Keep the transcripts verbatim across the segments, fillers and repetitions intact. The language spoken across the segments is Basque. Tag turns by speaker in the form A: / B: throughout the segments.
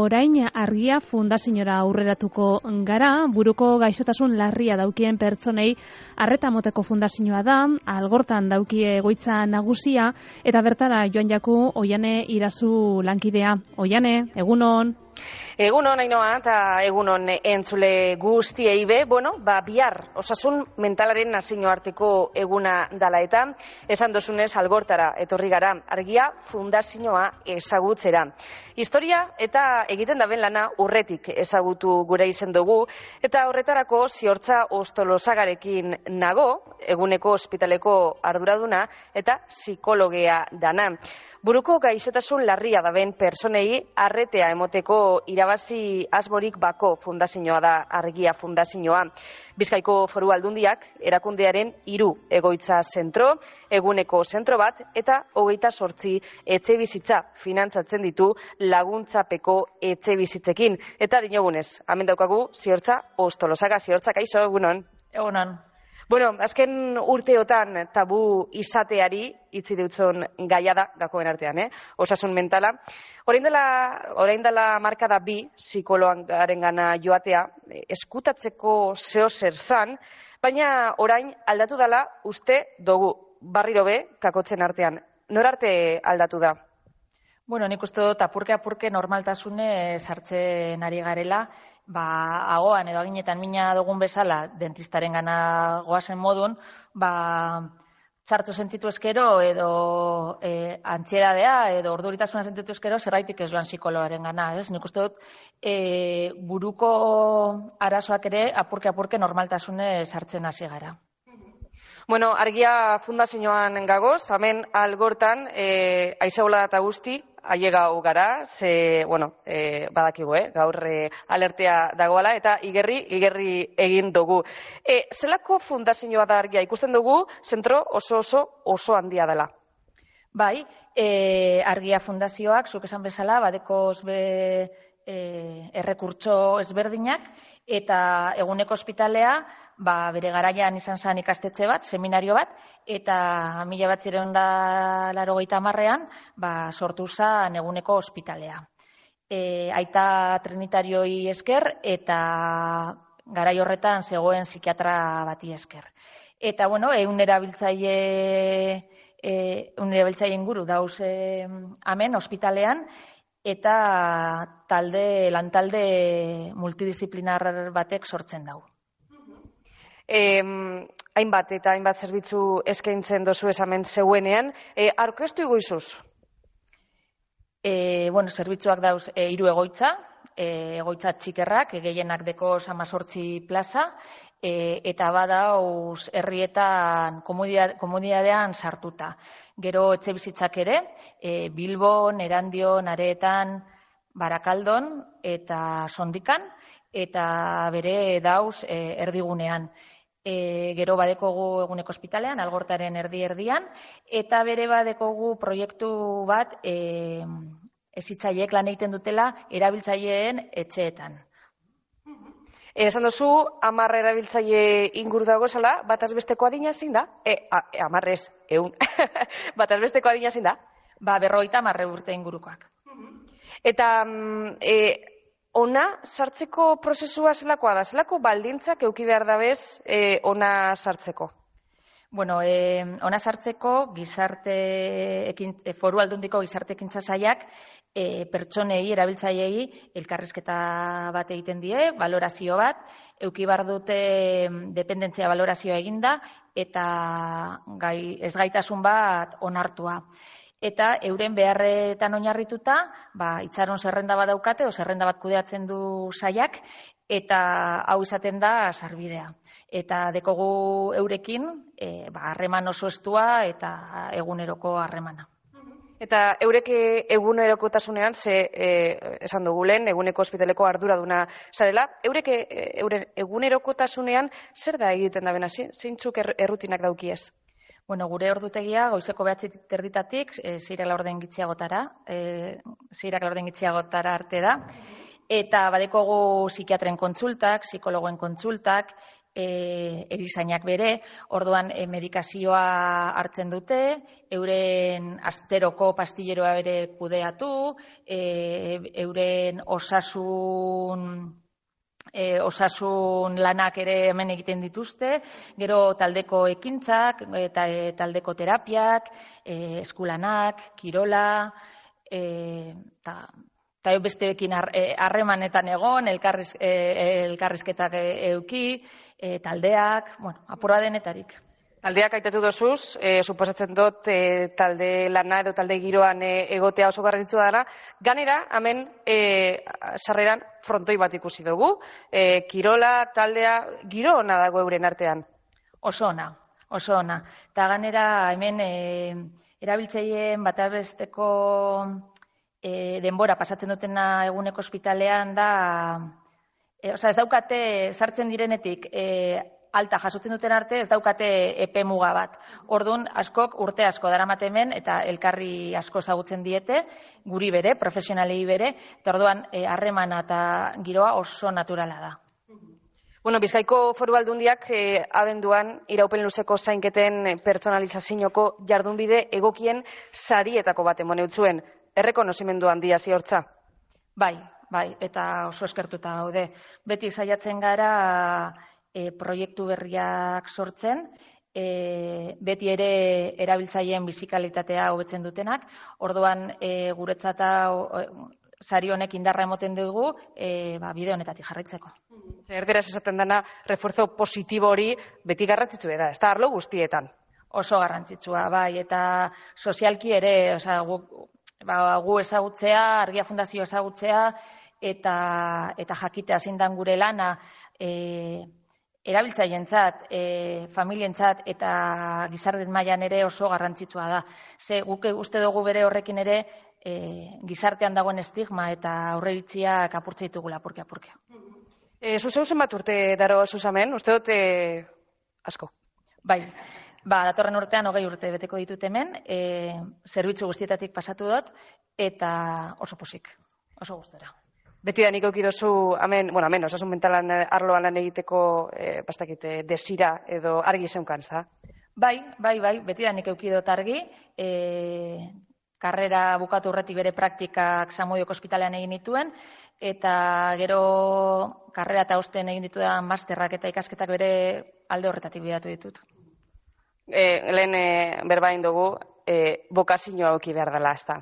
A: orain Argia Fundaziora aurreratuko gara, buruko gaixotasun larria daukien pertsonei arreta moteko fundazioa da, Algortan daukie egoitza nagusia, eta bertara joan jaku Oiane Irazu lankidea. Oiane, egunon?
B: Egunon, Ainoa, eta egunon entzule guztiei be, bueno, ba, bihar osasun mentalaren nazioarteko eguna dala eta, esan dozunez Algortara etorri gara, Argia Fundazioa ezagutzera. Historia eta egiten daben lana urretik ezagutu gure izen dugu, eta horretarako Ziortza Ostolosagarekin nago, eguneko ospitaleko arduraduna eta psikologea dana. Buruko gaixotasun larria daben personei arretea emoteko irabazi asmorik bako fundazioa da Argia Fundazioa. Bizkaiko Foru Aldundiak erakundearen hiru egoitza zentro, eguneko zentro bat eta hogeita zortzi etxe bizitza finantzatzen ditu laguntzapeko etxe bizitzekin. Eta dinogunez, hemen daukagu Ziortza Ostolosaga. Ziortza, kaixo, egunon?
C: Egunon.
B: Bueno, azken urteotan tabu izateari itzi dutzon gaia da gakoen artean, eh? Osasun mentala. Orain dela, orain dela marka da bi psikologaren gana joatea, eskutatzeko zeo zer zan, baina orain aldatu dela uste dugu, barriro be, kakotzen artean. Norarte aldatu da?
C: Bueno, nik uste dut apurke-apurke normaltasune sartzen ari garela, ba, agoan edo aginetan mina dugun bezala dentistaren gana goazen modun, ba, txartu sentitu eskero edo e, antsiedadea edo orduritasuna sentitu eskero zerraitik ez joan psikologaren gana, ez? Nik uste dut e, buruko arazoak ere apurke-apurke normaltasune sartzen hasi gara.
B: Bueno, Argia Fundazioan gagoz, hemen Algortan, e, aizegola eta guzti, ailegau gara, ze, bueno, e, badakigu, eh? gaur e, alertea dagoala, eta igerri, igerri egin dugu. E, zelako fundazioa da Argia? Ikusten dugu, zentro oso oso oso handia dela.
C: Bai, e, Argia Fundazioak, zuk esan bezala, badekoz be e, errekurtso ezberdinak, eta eguneko ospitalea, ba, bere garaian izan zen ikastetxe bat, seminario bat, eta mila batzireun da laurogeita hamarrean, ba, sortu zen eguneko ospitalea. E, aita trinitarioi esker eta garai horretan zegoen psikiatra bati esker. Eta, bueno, egun erabiltzaile, e, egun erabiltzaile inguru dauz e, hemen ospitalean, eta talde, lantalde multidisziplinar batek sortzen dau.
B: Eh, hainbat eta hainbat zerbitzu eskaintzen dozu esamen zeuenean, eh, aurkeztu iguizuz?
C: E, bueno, zerbitzuak dauz e, hiru egoitza, e, egoitza txikerrak, e, gehienak deko hamazortzi plaza, e, eta badauz herrietan komunitatean sartuta. Gero etxe bizitzak ere, e, Bilbon, Erandion, Areetan, Barakaldon eta Sondikan, eta bere dauz e, erdigunean. E, gero badekogu eguneko ospitalean, Algortaren erdi-erdian, eta bere badekogu proiektu bat e, hezitzaileek lan egiten dutela erabiltzaileen etxeetan.
B: Esan duzu, hamar erabiltzaile inguru dago zela, bataz besteko adina zein da? E, hamarrez, eun. Bataz besteko adina zein da?
C: Ba, berrogeita hamar urte ingurukoak.
B: Eta, e, ona sartzeko prozesua zelakoa da? Zelako baldintzak euki behar dabez e, ona sartzeko?
C: Bueno, eh, ona sartzeko gizarte ekin, Foru Aldundiko gizarte ekintza sailak e, pertsonei, erabiltzaileei elkarrizketa bat egiten die, balorazio bat, euki behar dute dependentzia balorazioa eginda eta gai, ezgaitasun bat onartua. Eta euren beharretan oinarrituta, ba, itxaron zerrenda bat daukate, o zerrenda bat kudeatzen du sailak, eta hau izaten da sarbidea. Eta dekogu eurekin, e, ba, harreman oso estua eta eguneroko harremana.
B: Eta eurek egunerokotasunean, ze e, esan dugu lehen, eguneko ospitaleko arduraduna zarela, eurek euren egunerokotasunean zer da egiten da bena, zeintzuk errutinak daukiez?
C: Bueno, gure ordutegia goizeko behatzi terditatik, e, zeirak laurden gitxiagotara, e, zeirak laurden gitxiagotara arte da, eta badekogu psikiatren kontsultak, psikologoen kontsultak, e, erizainak bere, orduan e, medikazioa hartzen dute, euren asteroko pastilleroa bere kudeatu, e, euren osasun... E, osasun lanak ere hemen egiten dituzte, gero taldeko ekintzak, eta e, taldeko terapiak, e, eskulanak, kirola, eta e, besteekin harremanetan egon, elkarriz, e, elkarrizketak euki, e, taldeak, bueno, apurra denetarik.
B: Taldeak aitatu dozuz, e, suposatzen dut e, talde lana edo talde giroan e, egotea oso garrantzitsua dela. Ganera, hemen e, sarreran frontoi bat ikusi dugu. E, kirola, taldea, giro ona dago euren artean?
C: Oso ona, oso ona. Eta ganera, hemen e, erabiltzaileen bat besteko e, denbora pasatzen dutena eguneko ospitalean da, e, oza, ez daukate sartzen direnetik, e, alta jasotzen duten arte ez daukate epe muga bat. Orduan, askok urte asko daramate hemen eta elkarri asko ezagutzen diete, guri bere, profesionalei bere, eta orduan harremana eta giroa oso naturala da.
B: Bueno, Bizkaiko Foru Aldundiak eh, abenduan iraupen luzeko zainketen pertsonalizazioko jardunbide egokien sarietako bat emone utzuen. Errekonozimendu handia ziortza?
C: Bai, bai, eta oso eskertuta gaude. Beti saiatzen gara E, proiektu berriak sortzen, e, beti ere erabiltzaileen bizikalitatea hobetzen dutenak, orduan e, guretzat sari honek indarra emoten dugu e, ba, bide honetatik jarraitzeko.
B: Erderaz esaten dena, refuerzo positibo hori beti garrantzitsu da, ez da arlo guztietan?
C: Oso garrantzitsua, bai, eta sozialki ere, osea, gu, ba, gu ezagutzea, Argia Fundazio ezagutzea, eta, eta jakitea zein dan gure lana, e, erabiltzaientzat, e, familientzat eta gizarteen mailan ere oso garrantzitsua da. Ze guk uste dugu bere horrekin ere e, gizartean dagoen estigma eta aurreiritziak apurtze ditugula apurke apurke.
B: E, Zuzeu zenbat urte daro zuzamen, uste dut e, asko?
C: Bai, ba, datorren urtean hogei urte beteko ditut hemen, e, zerbitzu guztietatik pasatu dut eta oso posik, oso gustora.
B: Beti da nik eukidozu, hemen, bueno, hemen, osasun mentalan arloan lan egiteko, e, bastakite, desira edo argi zeunkan, za?
C: Bai, bai, bai, beti da nik eukidot argi, e, karrera bukatu urretik bere praktikak Zamudioko ospitalean egin dituen, eta gero karrera eta osten egin ditudan masterrak eta ikasketak bere alde horretatik bidatu ditut.
B: E, lehen e, berbain dugu, e, bokazioa auki behar dela, ez da?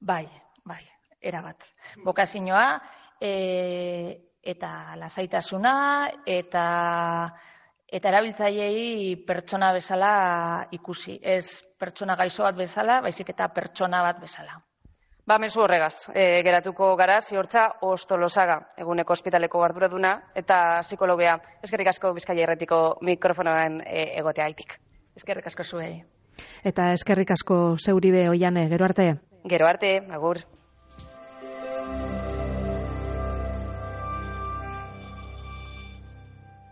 C: Bai, bai. Erabat. Bokazioa e, eta lasaitasuna eta eta erabiltzaileei pertsona bezala ikusi. Ez pertsona gaixo bat bezala, baizik eta pertsona bat bezala.
B: Ba, mezu horregaz, e, geratuko gara, ziortza Ostolosaga, eguneko ospitaleko arduraduna eta psikologea. Eskerrik asko Bizkaia Irratiko mikrofonoan e, egotea aitik.
C: Eskerrik asko zuei.
A: Eta eskerrik asko zeuri be Oiane, gero arte.
B: Gero arte, agur.